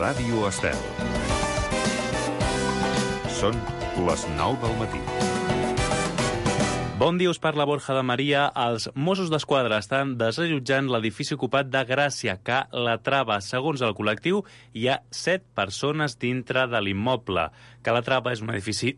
Ràdio Estel. Són les 9 del matí. Bon dia, us parla Borja de Maria. Els Mossos d'Esquadra estan desallotjant l'edifici ocupat de Gràcia, Calatrava. Segons el col·lectiu, hi ha 7 persones dintre de l'immoble. Calatrava és un edifici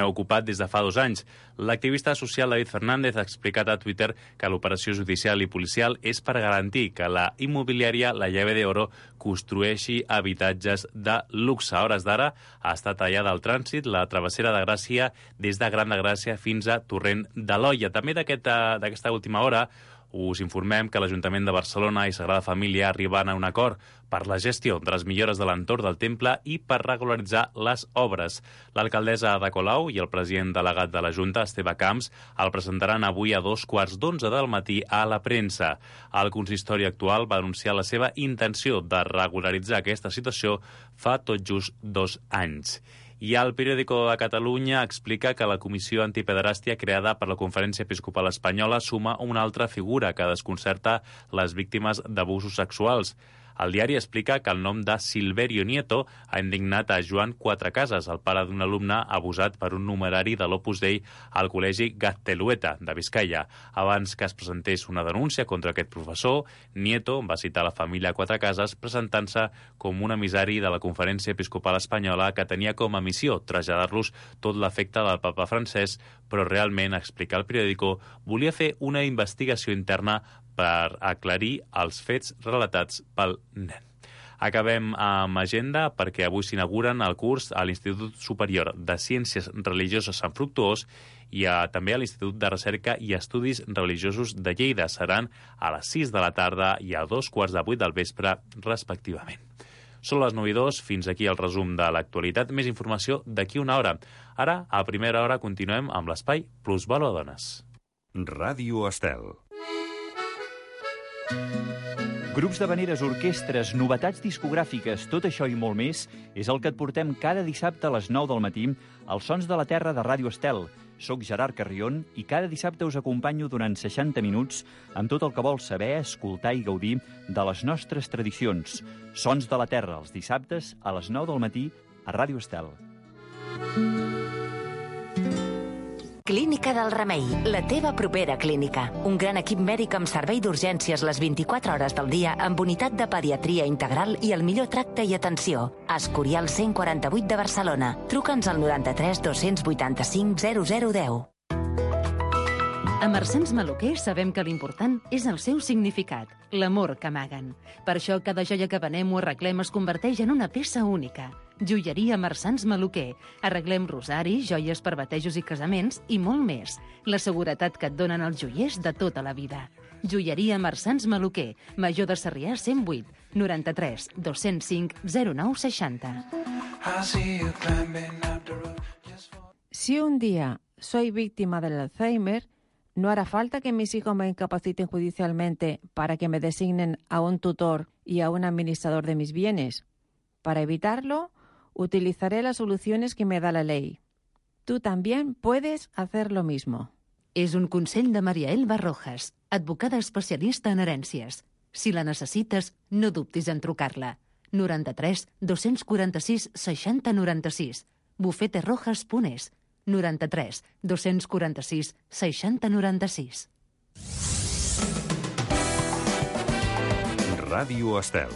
ocupat des de fa 2 anys. L'activista social David Fernández ha explicat a Twitter que l'operació judicial i policial és per garantir que la immobiliària La Llave de Oro construeixi habitatges de luxe. A hores d'ara ha estat tallada al trànsit la travessera de Gràcia des de Gran de Gràcia fins a Torrent de l'Olla. També d'aquesta última hora us informem que l'Ajuntament de Barcelona i Sagrada Família arriben a un acord per la gestió de les millores de l'entorn del temple i per regularitzar les obres. L'alcaldessa Ada Colau i el president delegat de la Junta, Esteve Camps, el presentaran avui a 2:15 del matí a la premsa. El consistori actual va anunciar la seva intenció de regularitzar aquesta situació fa tot just 2 anys. I el Periódico de Catalunya explica que la Comissió Antipederàstia creada per la Conferència Episcopal Espanyola suma una altra figura que desconcerta les víctimes d'abusos sexuals. El diari explica que el nom de Silverio Nieto ha indignat a Joan Quatrecases, el pare d'un alumne abusat per un numerari de l'Opus Dei al col·legi Gaztelueta, de Vizcaya. Abans que es presentés una denúncia contra aquest professor, Nieto va citar la família Quatrecases presentant-se com un emissari de la Conferència Episcopal Espanyola que tenia com a missió traslladar-los tot l'afecte del papa francès, però realment, explica el periòdico, volia fer una investigació interna per aclarir els fets relatats pel nen. Acabem amb agenda perquè avui s'inauguren el curs a l'Institut Superior de Ciències Religioses Sant Fructuós i també a l'Institut de Recerca i Estudis Religiosos de Lleida. Seran a les 6 de la tarda i a 2:15 del vespre, respectivament. Són les 9:02, fins aquí el resum de l'actualitat. Més informació d'aquí una hora. Ara, a primera hora, continuem amb l'espai Plusvalor a Dones. Ràdio Estel. Grups d'havaneres, orquestres, novetats discogràfiques, tot això i molt més és el que et portem cada dissabte a les 9 del matí als Sons de la Terra de Ràdio Estel. Soc Gerard Carrion i cada dissabte us acompanyo durant 60 minuts amb tot el que vols saber, escoltar i gaudir de les nostres tradicions. Sons de la Terra, els dissabtes a les 9 del matí a Ràdio Estel. Clínica del Remei, la teva propera clínica. Un gran equip mèdic amb servei d'urgències les 24 hores del dia amb unitat de pediatria integral i el millor tracte i atenció. Escorial 148 de Barcelona. Truca'ns al 93 285 0010. A Marsans Maluquer sabem que l'important és el seu significat, l'amor que amaguen. Per això cada joia que venem o arreglem es converteix en una peça única. Joieria Marsans Maluquer. Arreglem rosaris, joies per batejos i casaments i molt més. La seguretat que et donen els joiers de tota la vida. Joieria Marsans Maluquer. Major de Sarrià 108 93 205 0960. Si un día soy víctima del Alzheimer, no hará falta que mis hijos me incapaciten judicialmente para que me designen a un tutor y a un administrador de mis bienes. Para evitarlo, utilizaré las soluciones que me da la ley. Tú también puedes hacer lo mismo. És un consell de Maria Elba Rojas, advocada especialista en herències. Si la necessites, no dubtis en trucar-la. 93 246 60 96. bufeterojas.es. 93 246 60 96. Ràdio Estel.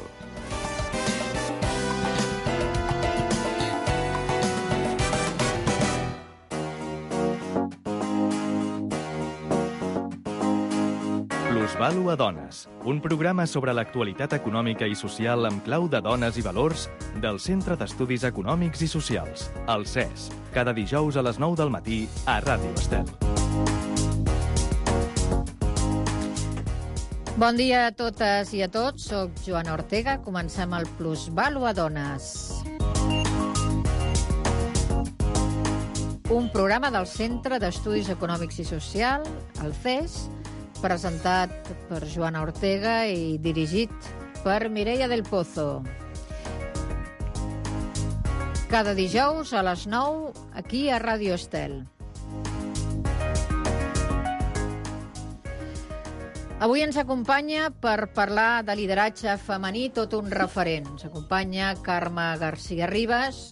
Plusvalor a Dones, un programa sobre l'actualitat econòmica i social amb clau de dones i valors del Centre d'Estudis Econòmics i Socials, el CES, cada dijous a les 9 del matí a Ràdio Estel. Bon dia a totes i a tots, soc Joana Ortega, comencem el Plusvalor a Dones. Un programa del Centre d'Estudis Econòmics i Socials, el CES, presentat per Joana Ortega i dirigit per Mireia del Pozo. Cada dijous a les 9, aquí a Ràdio Estel. Avui ens acompanya per parlar de lideratge femení tot un referent. Ens acompanya Carme García Ribas,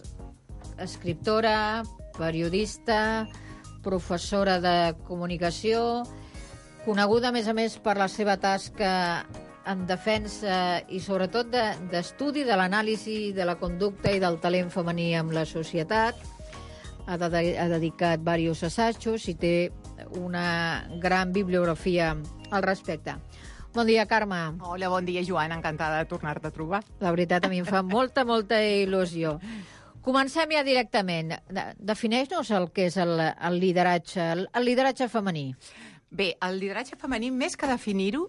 escriptora, periodista, professora de comunicació, coneguda, a més, per la seva tasca en defensa i, sobretot, d'estudi de l'anàlisi de la conducta i del talent femení en la societat. Ha dedicat diversos assajos i té una gran bibliografia al respecte. Bon dia, Carme. Hola, bon dia, Joana. Encantada de tornar-te a trobar. La veritat, a mi em fa molta il·lusió. Comencem ja directament. Defineix-nos el que és el lideratge femení. Bé, el lideratge femení, més que definir-ho,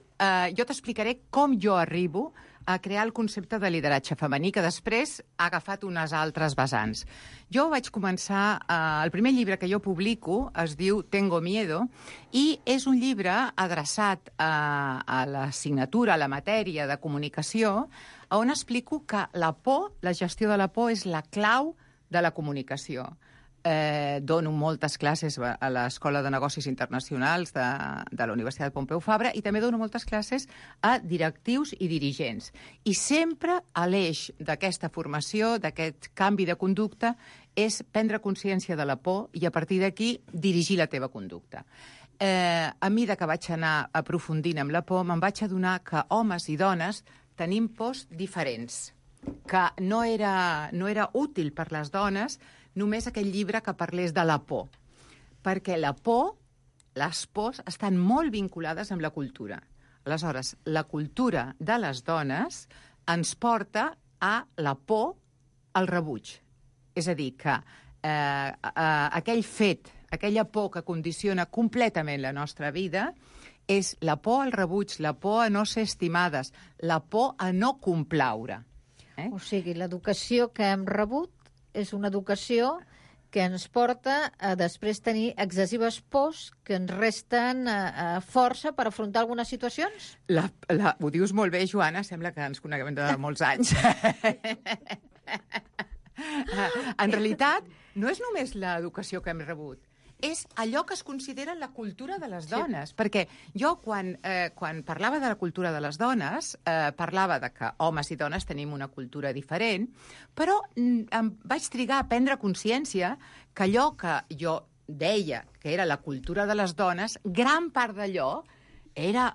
jo t'explicaré com jo arribo a crear el concepte de lideratge femení, que després ha agafat unes altres vessants. Jo vaig començar... el primer llibre que jo publico es diu Tengo Miedo, i és un llibre adreçat a l'assignatura, a la matèria de comunicació, on explico que la por, la gestió de la por, és la clau de la comunicació. Dono moltes classes a l'Escola de Negocis Internacionals de la Universitat Pompeu Fabra i també dono moltes classes a directius i dirigents. I sempre l'eix d'aquesta formació, d'aquest canvi de conducta, és prendre consciència de la por i a partir d'aquí dirigir la teva conducta. A mesura que vaig anar aprofundint amb la por, me'n vaig adonar que homes i dones tenim pors diferents, que no era útil per les dones només aquell llibre que parlés de la por, perquè la por, les pors, estan molt vinculades amb la cultura. Aleshores, la cultura de les dones ens porta a la por al rebuig. És a dir, que aquell fet, aquella por que condiciona completament la nostra vida, és la por al rebuig, la por a no ser estimades, la por a no complaure. O sigui, l'educació que hem rebut és una educació que ens porta a després tenir excessives pors que ens resten força per afrontar algunes situacions? Ho dius molt bé, Joana, sembla que ens coneguem de molts anys. En realitat, no és només l'educació que hem rebut, és allò que es considera la cultura de les dones. Sí. Perquè jo, quan parlava de la cultura de les dones, parlava de que homes i dones tenim una cultura diferent, però em vaig trigar a prendre consciència que allò que jo deia que era la cultura de les dones, gran part d'allò era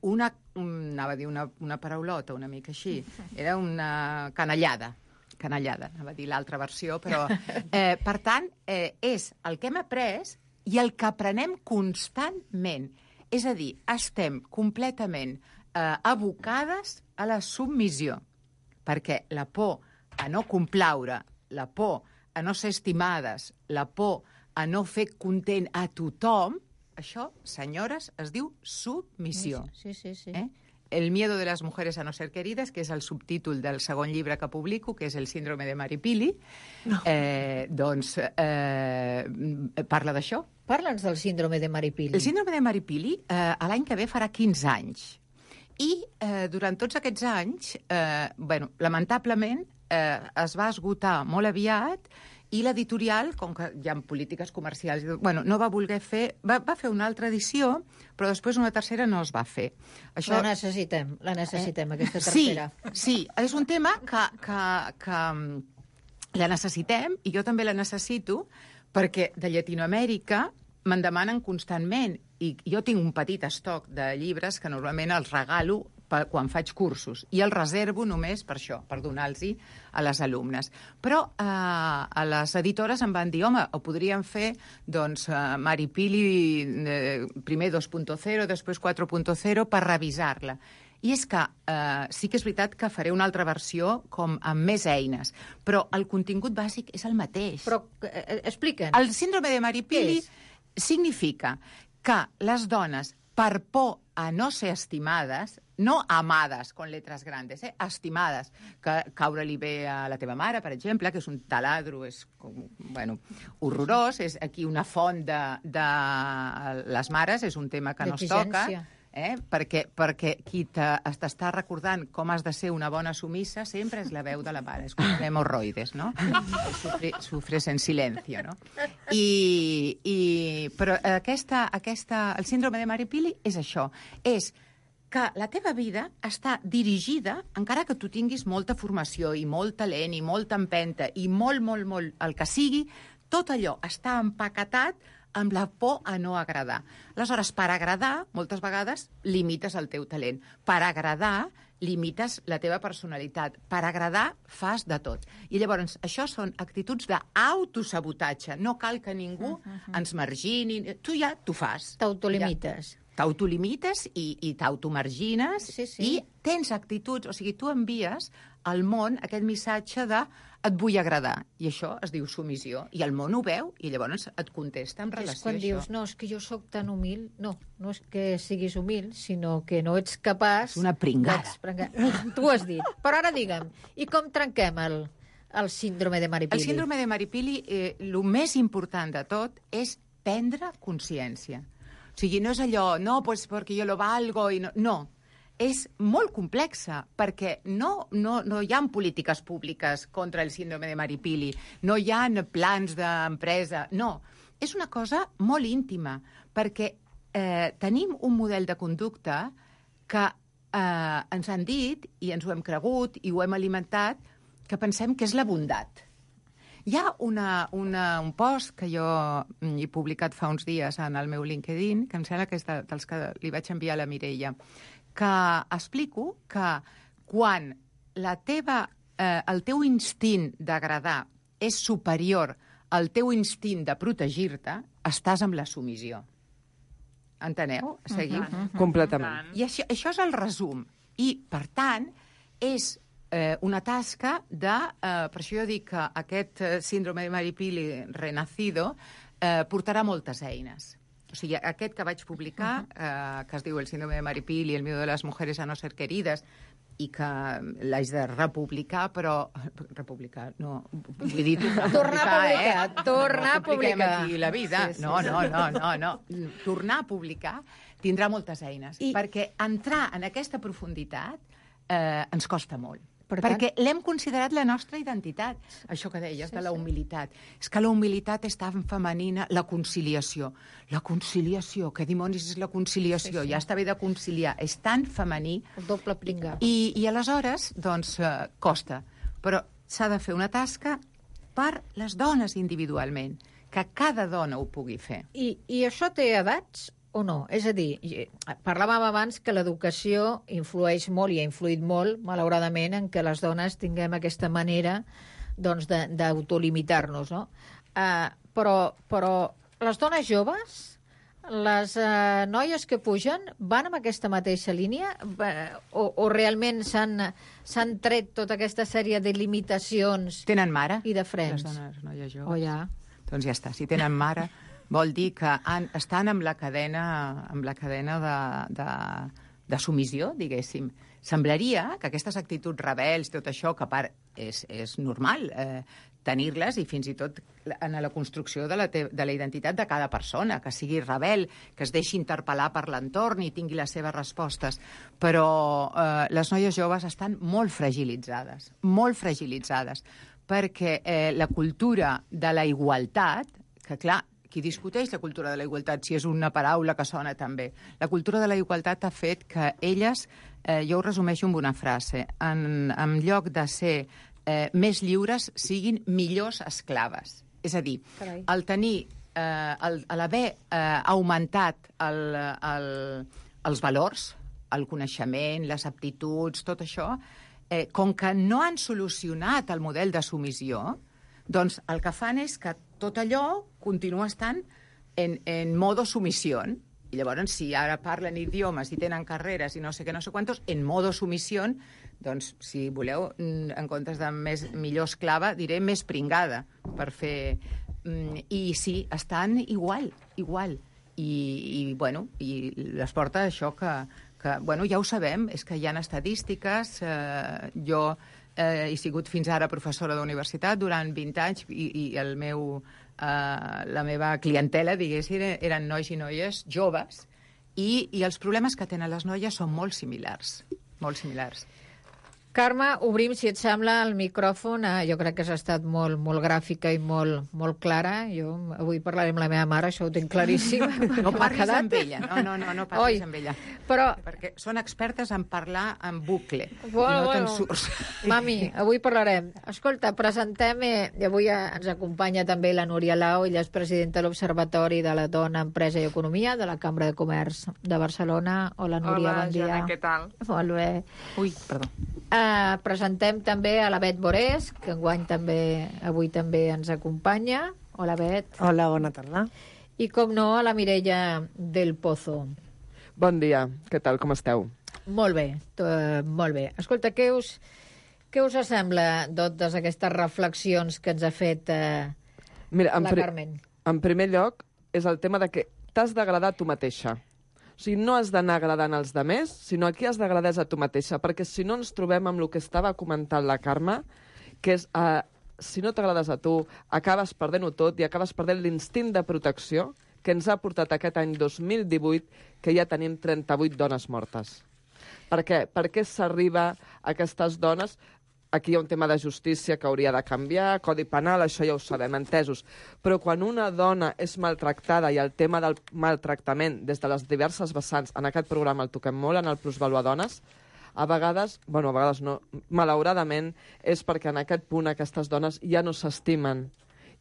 anava a dir una paraulota, una mica així, era una canallada, anava a dir l'altra versió, però... per tant, és el que hem après i el que aprenem constantment. És a dir, estem completament abocades a la submissió, perquè la por a no complaure, la por a no ser estimades, la por a no fer content a tothom, això, senyores, es diu submissió. Sí. El miedo de las mujeres a no ser queridas, que és el subtítol del segon llibre que publico, que és el síndrome de Mary Pili, parla d'això. Parla'ns del síndrome de Mary Pili. El síndrome de Mary Pili, l'any que ve farà 15 anys. I durant tots aquests anys, lamentablement, es va esgotar molt aviat i l'editorial, com que hi ha polítiques comercials, no va voler fer... Va fer una altra edició, però després una tercera no es va fer. Això... La necessitem, aquesta tercera. Sí, és un tema que la necessitem, i jo també la necessito, perquè de Llatinoamèrica me'n demanen constantment, i jo tinc un petit estoc de llibres que normalment els regalo quan faig cursos, i el reservo només per això, per donar-los a les alumnes. Però a les editores em van dir, home, ho podríem fer, doncs, Mary Pili, primer 2.0, després 4.0, per revisar-la. I és que sí que és veritat que faré una altra versió com amb més eines, però el contingut bàsic és el mateix. Però explica'ns. El síndrome de Mary Pili significa que les dones, per por a no ser estimades, no amades, con letras grandes, estimades, que caure-li bé a la teva mare, per exemple, que és un taladro, és horrorós, és aquí una font de les mares, és un tema que no es toca, perquè qui t'està recordant com has de ser una bona sumissa sempre és la veu de la mare, és com hemorroides, no? Sufres en silencio, no? Però el síndrome de Mary Pili és això, és que la teva vida està dirigida, encara que tu tinguis molta formació i molt talent i molta empenta i molt el que sigui, tot allò està empaquetat amb la por a no agradar. Aleshores, per agradar, moltes vegades, limites el teu talent. Per agradar, limites la teva personalitat. Per agradar, fas de tot. I llavors, això són actituds d'autosabotatge. No cal que ningú ens margini. Tu ja t'ho fas. T'autolimites. T'autolimites i t'automargines i tens actituds, o sigui, tu envies al món aquest missatge de et vull agradar, i això es diu submissió, i el món ho veu, i llavors et contesta en relació a això. És quan dius, no, és que jo sóc tan humil, no és que siguis humil, sinó que no ets capaç... És una pringada. Tu ho has dit. Però ara digue'm, i com trenquem el síndrome de Maripili? El síndrome de Maripili, el més important de tot és prendre consciència. O sigui, no és allò, no, pues perquè jo lo valgo, i no, és molt complexa, perquè no hi ha polítiques públiques contra el síndrome de Maripili, no hi ha plans d'empresa, no. És una cosa molt íntima, perquè tenim un model de conducta que ens han dit, i ens ho hem cregut, i ho hem alimentat, que pensem que és la bondat. Hi ha un post que jo he publicat fa uns dies en el meu LinkedIn, que em sembla que és dels que li vaig enviar a la Mireia, que explico que quan el teu instint d'agradar és superior al teu instint de protegir-te, estàs amb la submissió. Enteneu? Seguiu? Completament. I això és el resum. I, per tant, és una tasca de... per això jo dic que aquest síndrome de Maripili renacido portarà moltes eines. O sigui, aquest que vaig publicar, que es diu El síndrome de Maripili, el miedo de las mujeres a no ser queridas, i que l'haig de republicar, però... Republicar, no... Vull dir, tornar a publicar. Aquí la vida. Sí. No. Tornar a publicar tindrà moltes eines, perquè entrar en aquesta profunditat ens costa molt. Perquè l'hem considerat la nostra identitat, això que deies, de la humilitat. És que la humilitat és tan femenina, la conciliació. La conciliació, què dimonis és la conciliació? Ja està bé de conciliar, és tan femení. El doble pringar. I aleshores, doncs, costa. Però s'ha de fer una tasca per les dones individualment, que cada dona ho pugui fer. I això té edats o no? És a dir, parlàvem abans que l'educació influeix molt i ha influït molt, malauradament, en què les dones tinguem aquesta manera d'autolimitar-nos, no? Però les dones joves, les noies que pugen, van amb aquesta mateixa línia? O realment s'han tret tota aquesta sèrie de limitacions tenen mare, i de frens? Les dones, noies joves. Oh, ja. Doncs ja està, si tenen mare... Vol dir que estan amb la cadena de submissió, diguéssim. Semblaria que aquestes actituds rebels, tot això, que a part és normal tenir-les, i fins i tot en la construcció de la identitat de cada persona, que sigui rebel, que es deixi interpel·lar per l'entorn i tingui les seves respostes. Però les noies joves estan molt fragilitzades, perquè la cultura de la igualtat, que clar, qui discuteix la cultura de la igualtat, si és una paraula que sona també. La cultura de la igualtat ha fet que elles, jo ho resumeixo amb una frase, en lloc de ser més lliures, siguin millors esclaves. És a dir, el tenir, l'haver augmentat els valors, el coneixement, les aptituds, tot això, com que no han solucionat el model de submissió, doncs el que fan és que tot allò continua estant en modo submissió. I llavors, si ara parlen idiomes i tenen carreres i no sé què, no sé quantos, en modo submissió, doncs, si voleu, en comptes de millor esclava, diré més pringada, per fer... I sí, estan igual. I les porta això que ja ho sabem, és que hi ha estadístiques, jo... he sigut fins ara professora d'universitat durant 20 anys i la meva clientela, diguéssim, eren nois i noies joves i els problemes que tenen les noies són molt similars. Carme, obrim, si et sembla, el micròfon. Jo crec que has estat molt, molt gràfica i molt, molt clara. Jo avui parlaré amb la meva mare, això ho tinc claríssim. No parlis amb ella, no parlis amb ella. Però... Perquè són expertes en parlar en bucle. Bueno, no te'n surts. Mami, avui parlarem. Escolta, presentem... I avui ens acompanya també la Núria Lau, ella és presidenta de l'Observatori de la Dona, Empresa i Economia de la Cambra de Comerç de Barcelona. Hola, Núria, bon dia. Hola, Joana, què tal? Molt bé. Ui, perdó. Presentem també a la Bet Borés, que enguany avui també ens acompanya. Hola, Bet. Hola, bona tarda. I, com no, a la Mireia del Pozo. Bon dia, què tal, com esteu? Molt bé, molt bé. Escolta, què us sembla totes aquestes reflexions que ens ha fet Mira, la Carmen? En primer lloc, és el tema de que t'has d'agradar a tu mateixa. O sigui, no has d'anar agradant als demés, sinó a qui has d'agradar és a tu mateixa, perquè si no ens trobem amb el que estava comentant la Carme, que és, si no t'agrades a tu, acabes perdent-ho tot i acabes perdent l'instint de protecció que ens ha portat aquest any 2018, que ja tenim 38 dones mortes. Per què? Per què s'arriba a aquestes dones? Aquí hi ha un tema de justícia que hauria de canviar, codi penal, això ja ho sabem, entesos. Però quan una dona és maltractada, i el tema del maltractament des de les diverses vessants, en aquest programa el toquem molt, en el Plusvalua Dones, a vegades no, malauradament, és perquè en aquest punt aquestes dones ja no s'estimen,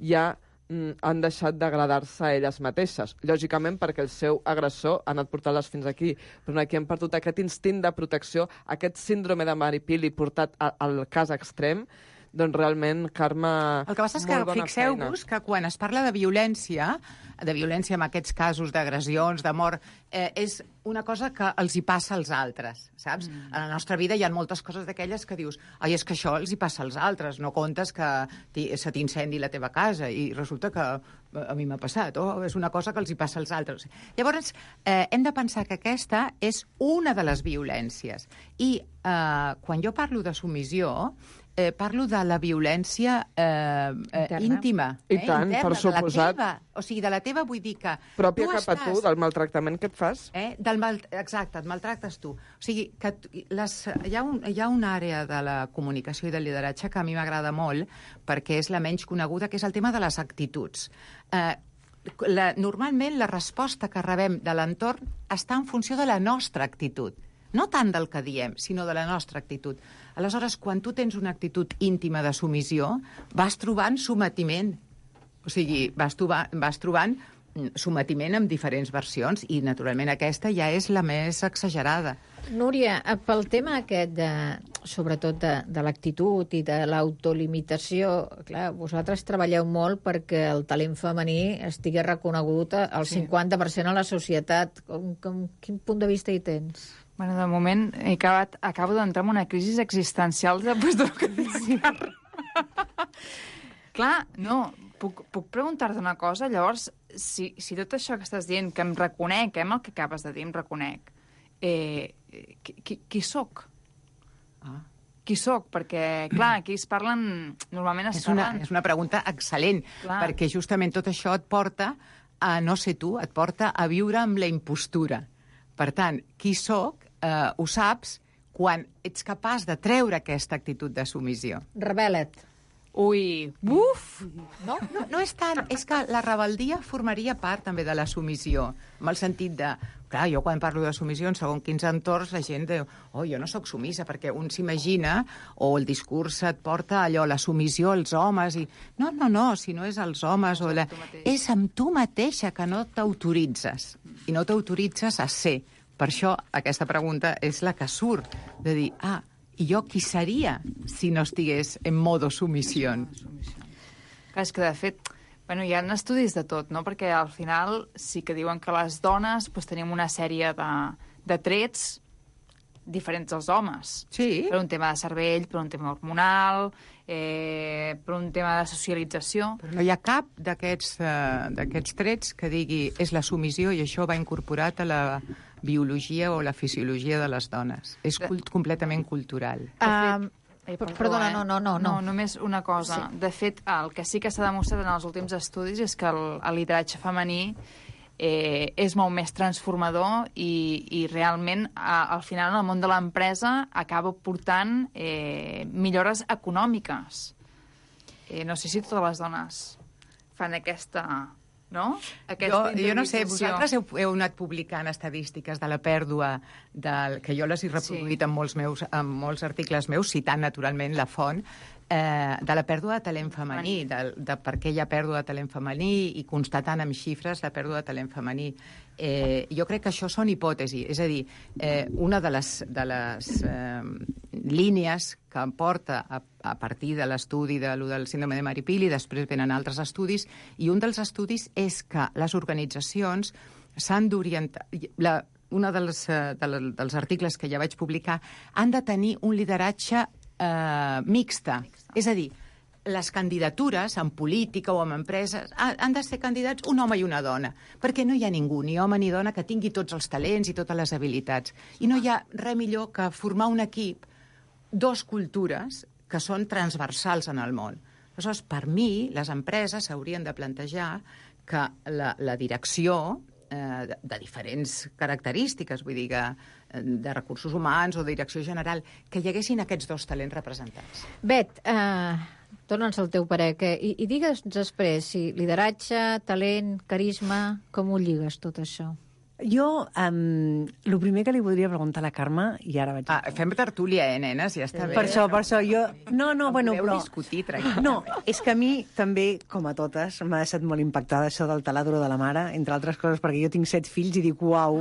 ja han deixat d'agradar-se a elles mateixes. Lògicament perquè el seu agressor ha anat portant-les fins aquí, però aquí hem perdut aquest instint de protecció, aquest síndrome de Maripili portat al cas extrem. Doncs realment, Carme, el que passa és que fixeu-vos que quan es parla de violència en aquests casos d'agressions, de mort, és una cosa que els hi passa als altres, saps? A la nostra vida hi ha moltes coses d'aquelles que dius, ai, és que això els hi passa als altres, no comptes que se t'incendi la teva casa, i resulta que a mi m'ha passat, és una cosa que els hi passa als altres. Llavors, hem de pensar que aquesta és una de les violències. I quan jo parlo de submissió, parlo de la violència íntima. I tant, interna, per suposat. O sigui, de la teva vull dir que... Pròpia cap a tu, del maltractament que et fas. Exacte, et maltractes tu. O sigui, que hi ha una àrea de la comunicació i del lideratge que a mi m'agrada molt, perquè és la menys coneguda, que és el tema de les actituds. Normalment la resposta que rebem de l'entorn està en funció de la nostra actitud. No tant del que diem, sinó de la nostra actitud. Aleshores, quan tu tens una actitud íntima de submissió, vas trobant sometiment. O sigui, vas trobant sometiment amb diferents versions i, naturalment, aquesta ja és la més exagerada. Núria, pel tema aquest, sobretot de l'actitud i de l'autolimitació, clar, vosaltres treballeu molt perquè el talent femení estigui reconegut al 50% a la societat. Quin punt de vista hi tens? Bueno, de moment acabo d'entrar en una crisi existencial després del que dic. Clar, no, puc preguntar-te una cosa? Llavors, si tot això que estàs dient, que em reconec, el que acabes de dir, em reconec, qui soc? Qui soc? Perquè, clar, aquí es parlen... Normalment es parlen... És una pregunta excel·lent, perquè justament tot això et porta a no ser tu, et porta a viure amb la impostura. Per tant, qui soc, ho saps quan ets capaç de treure aquesta actitud de submissió. Rebel·la't. Ui, buf! No és tant, és que la rebeldia formaria part també de la submissió, amb el sentit de... Clar, jo quan parlo de submissió, en segons quins entorns, la gent diu, jo no sóc submissa, perquè un s'imagina, o el discurs et porta allò, la submissió als homes, i... No, si no és als homes, és amb tu mateixa que no t'autoritzes, i no t'autoritzes a ser. Per això aquesta pregunta és la que surt, de dir, i jo qui seria si no estigués en modo submissió? Clar, és que de fet, hi ha estudis de tot, no? Perquè al final sí que diuen que les dones tenim una sèrie de trets diferents dels homes. Sí. Per un tema de cervell, per un tema hormonal, per un tema de socialització. Però no hi ha cap d'aquests trets que digui és la submissió i això va incorporat a la biologia o la fisiologia de les dones. És completament cultural. Perdona, no. Només una cosa. Sí. De fet, el que sí que s'ha demostrat en els últims estudis és que el lideratge femení és molt més transformador i realment, al final, el món de l'empresa acaba portant millores econòmiques. No sé si totes les dones fan aquesta... No? Jo no sé, vosaltres heu anat publicant estadístiques de la pèrdua, que jo les he reproduït en molts articles meus, citant naturalment la font, de la pèrdua de talent femení, de per què hi ha pèrdua de talent femení i constatant amb xifres la pèrdua de talent femení. Jo crec que això són hipòtesis, és a dir, una de les línies que em porta a partir de l'estudi del síndrome de Mari-Pili, després venen altres estudis, i un dels estudis és que les organitzacions s'han d'orientar... Un dels articles que ja vaig publicar han de tenir un lideratge mixta. És a dir, les candidatures en política o en empreses han de ser candidats un home i una dona, perquè no hi ha ningú, ni home ni dona, que tingui tots els talents i totes les habilitats. I no hi ha res millor que formar un equip, dos cultures que són transversals en el món. Aleshores, per mi, les empreses s'haurien de plantejar que la direcció de diferents característiques, vull dir, de recursos humans o de direcció general, que hi haguessin aquests dos talents representats. Bet, dona'ns el teu parer. I digues després si lideratge, talent, carisma, com ho lligues tot això? Jo, el primer que li voldria preguntar a la Carme, i ara vaig... Fem tertúlia, nenes? Ja està bé. Per això, jo... No, bueno, però... discutir, tranquil. No, és que a mi també, com a totes, m'ha deixat molt impactada això del taladro de la mare, entre altres coses, perquè jo tinc 7 fills i dic, uau...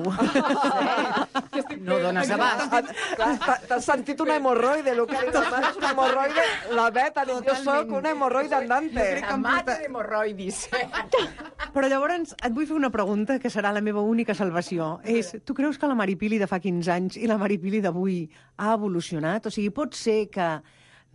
No dones abast. T'has sentit una hemorroide, el que ha dit la mare és una hemorroide. La Bet ha dit, jo soc una hemorroide andante. Mata d'hemorroidis. Però llavors et vull fer una pregunta que serà la meva única salvació. És, tu creus que la Mari-Pili de fa 15 anys i la Mari-Pili d'avui ha evolucionat? O sigui, pot ser que...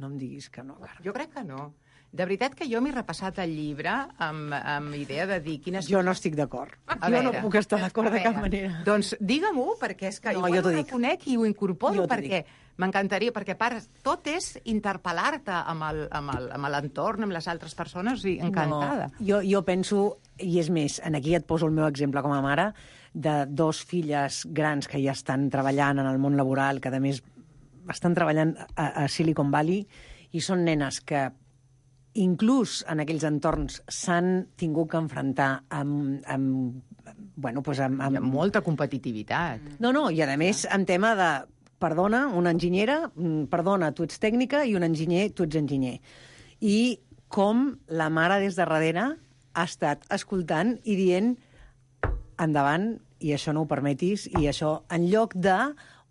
No em diguis que no, Carme. Jo crec que no. De veritat que jo m'he repassat el llibre amb idea de dir quines... Jo no estic d'acord. Jo no puc estar d'acord de cap manera. Doncs digue-m'ho, perquè és que no, jo ho reconec i ho incorporo, perquè m'encantaria, perquè a part tot és interpel·lar-te amb l'entorn, amb les altres persones, i encantada. No, jo penso, i és més, aquí et poso el meu exemple com a mare, de 2 filles grans que ja estan treballant en el món laboral, que a més estan treballant a Silicon Valley, i són nenes que inclús en aquells entorns s'han tingut que enfrontar amb molta competitivitat. No, i a més, en tema de, perdona, una enginyera, perdona, tu ets tècnica, i un enginyer, tu ets enginyer. I com la mare des de darrere ha estat escoltant i dient endavant, i això no ho permetis, i això en lloc de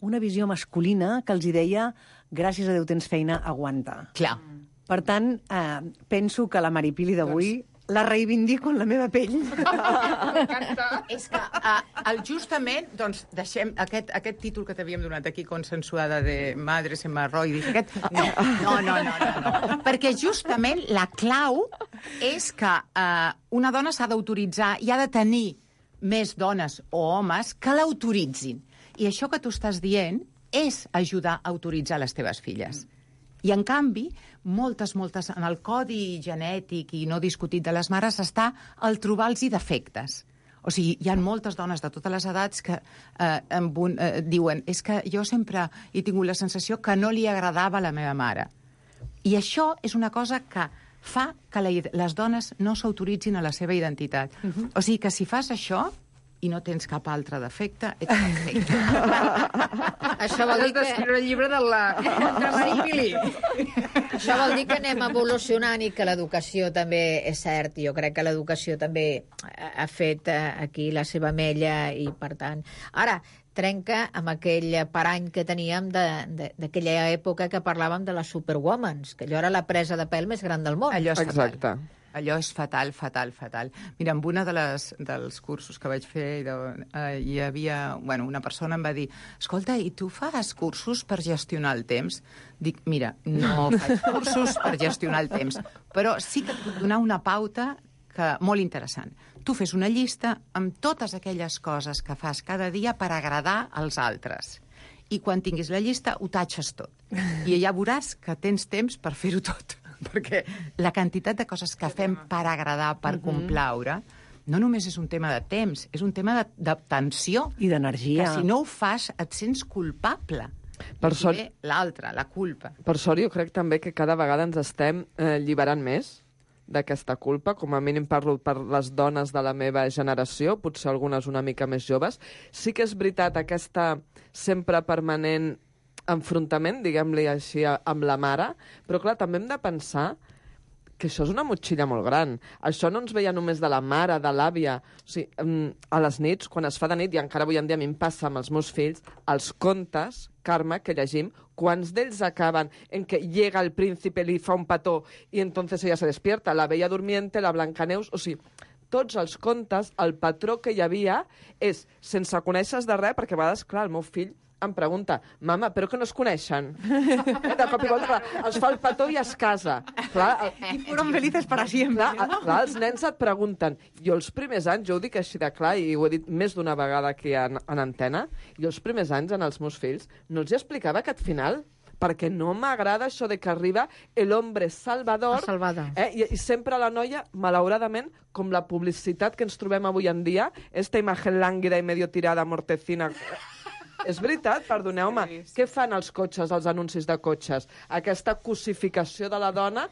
una visió masculina que els hi deia gràcies a Déu tens feina, aguanta. Clar. Per tant, penso que la Mari-Pili d'avui la reivindico en la meva pell. És que justament, doncs, deixem aquest títol que t'havíem donat aquí, consensuada de Madres Hemorroidis, no. Perquè justament la clau és que una dona s'ha d'autoritzar i ha de tenir més dones o homes que l'autoritzin. I això que tu estàs dient és ajudar a autoritzar les teves filles. I, en canvi, moltes, en el codi genètic i no discutit de les mares està el trobar-los defectes. O sigui, hi ha moltes dones de totes les edats que diuen és que jo sempre he tingut la sensació que no li agradava a la meva mare. I això és una cosa que fa que les dones no s'autoritzin a la seva identitat. O sigui que si fas això i no tens cap altre defecte, ets perfecte. Això vol dir que... escriure el llibre de la Mari-Pili. Això vol dir que anem evolucionant i que l'educació també és cert. Jo crec que l'educació també ha fet aquí la seva mella i, per tant... Ara, trenca amb aquell parany que teníem d'aquella època que parlàvem de les superwomans, que allò era la presa de pèl més gran del món. Allò és fatal. Allò és fatal. Mira, en una dels cursos que vaig fer hi havia... una persona em va dir escolta, i tu fas cursos per gestionar el temps? Dic, mira, no faig cursos per gestionar el temps, però sí que et puc donar una pauta molt interessant. Tu fes una llista amb totes aquelles coses que fas cada dia per agradar als altres. I quan tinguis la llista, ho tatxes tot. I ja veuràs que tens temps per fer-ho tot. Perquè la quantitat de coses que fem per agradar, per complaure, no només és un tema de temps, és un tema de tensió. I d'energia. Que si no ho fas et sents culpable. Per sort, l'altra, la culpa. Per sort, jo crec també que cada vegada ens estem alliberant més d'aquesta culpa. Com a mínim parlo per les dones de la meva generació, potser algunes una mica més joves. Sí que és veritat aquesta sempre permanent enfrontament, diguem-li així, amb la mare, però clar, també hem de pensar que això és una motxilla molt gran. Això no ens veia només de la mare, de l'àvia. O sigui, a les nits, quan es fa de nit, i encara avui en dia a mi em passa amb els meus fills, els contes, Carme, que llegim, quants d'ells acaben en que llega el príncipe, li fa un petó i entonces ella se despierta, la Bella Durmiente, la Blancaneus... O sigui, tots els contes, el patró que hi havia és sense conèixer de res, perquè a vegades, clar, el meu fill em pregunta, mama, però que no es coneixen? De cop i volta, es fa el petó i es casa. Clar, I fueron felices para siempre. Clar, els nens et pregunten. Jo els primers anys, jo ho dic així de clar, i ho he dit més d'una vegada aquí en antena, jo els primers anys, en els meus fills, no els explicava aquest final, perquè no m'agrada això de que arriba el hombre salvador, i sempre la noia, malauradament, com la publicitat que ens trobem avui en dia, esta imagen lànguida i medio tirada, mortecina... És veritat, perdoneu-me. Què fan els cotxes, els anuncis de cotxes? Aquesta cosificació de la dona,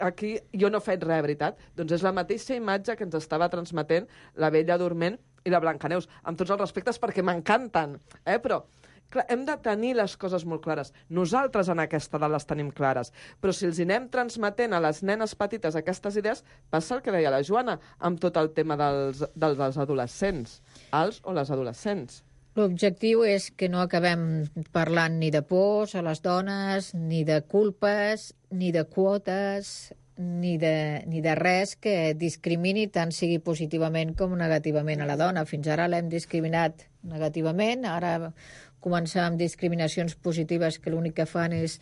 aquí jo no he fet res, veritat. Doncs és la mateixa imatge que ens estava transmetent la Bella Dorment i la Blancaneus, amb tots els respectes, perquè m'encanten, però... Clar, hem de tenir les coses molt clares. Nosaltres en aquesta edat les tenim clares. Però si els anem transmetent a les nenes petites aquestes idees, passa el que deia la Joana, amb tot el tema dels adolescents, els o les adolescents. L'objectiu és que no acabem parlant ni de pors a les dones, ni de culpes, ni de quotes, ni de res que discrimini tant sigui positivament com negativament a la dona. Fins ara l'hem discriminat negativament, ara començar amb discriminacions positives que l'únic que fan és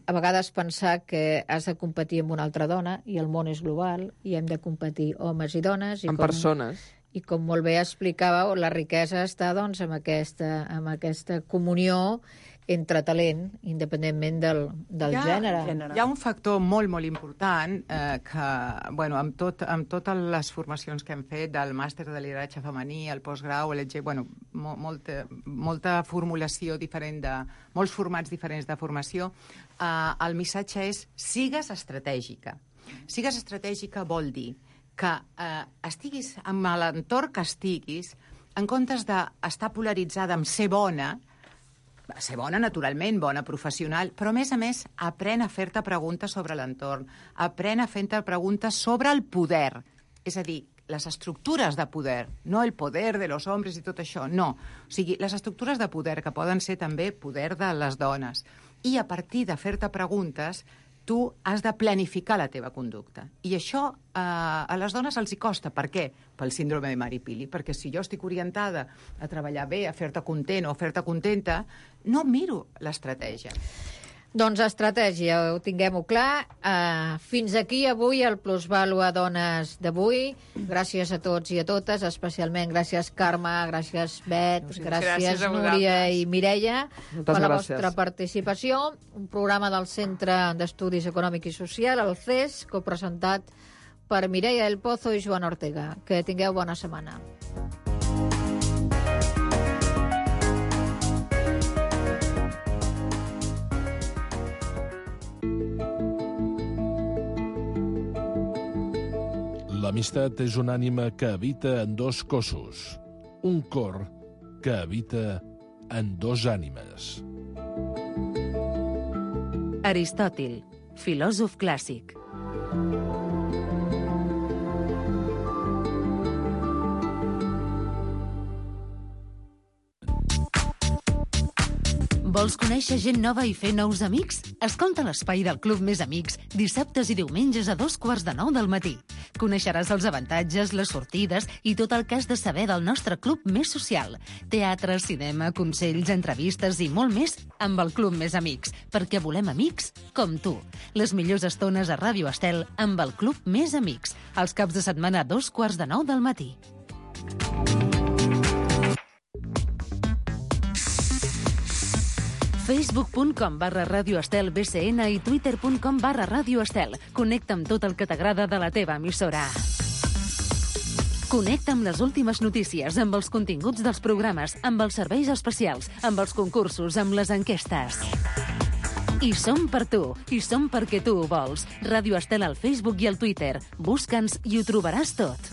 a vegades pensar que has de competir amb una altra dona i el món és global i hem de competir homes i dones. Amb persones. I com molt bé explicàveu, la riquesa està doncs, amb aquesta comunió entre talent, independentment del gènere. Hi ha un factor molt, molt important que, bueno, amb totes les formacions que hem fet del màster de lideratge femení, el postgrau, molta formulació diferent molts formats diferents de formació, el missatge és sigues estratègica. Sigues estratègica vol dir que estiguis amb l'entorn que estiguis, en comptes d'estar polaritzada amb ser bona, naturalment, bona professional, però a més, aprèn a fer-te preguntes sobre l'entorn, aprèn a fer-te preguntes sobre el poder, és a dir, les estructures de poder, no el poder de los hombres i tot això, no. O sigui, les estructures de poder, que poden ser també poder de les dones. I a partir de fer-te preguntes, tu has de planificar la teva conducta. I això a les dones els hi costa. Per què? Pel síndrome de Mary-Pili. Perquè si jo estic orientada a treballar bé, a fer-te content o a fer-te contenta, no miro l'estratègia. Doncs estratègia, ho tinguem-ho clar. Fins aquí avui el Plusvàlua Dones d'avui. Gràcies a tots i a totes, especialment gràcies Carme, gràcies Bet, gràcies Núria i Mireia per la vostra participació. Un programa del Centre d'Estudis Econòmics i Social, el CES, copresentat per Mireia del Pozo i Joan Ortega. Que tingueu bona setmana. L'amistat és una ànima que habita en dos cossos, un cor que habita en dos ànimes. Aristòtil, filòsof clàssic. Vols conèixer gent nova i fer nous amics? Escolta l'Espai del Club Més Amics dissabtes i diumenges a 8:45 del matí. Coneixeràs els avantatges, les sortides i tot el que has de saber del nostre club més social. Teatre, cinema, consells, entrevistes i molt més amb el Club Més Amics, perquè volem amics com tu. Les millors estones a Ràdio Estel amb el Club Més Amics, els caps de setmana a 8:45 del matí. Facebook.com/Ràdio Estel BCN i Twitter.com/Ràdio Estel. Connecta amb tot el que t'agrada de la teva emissora. Connecta amb les últimes notícies, amb els continguts dels programes, amb els serveis especials, amb els concursos, amb les enquestes. I som per tu, i som perquè tu ho vols. Ràdio Estel al Facebook i al Twitter. Busca'ns i ho trobaràs tot.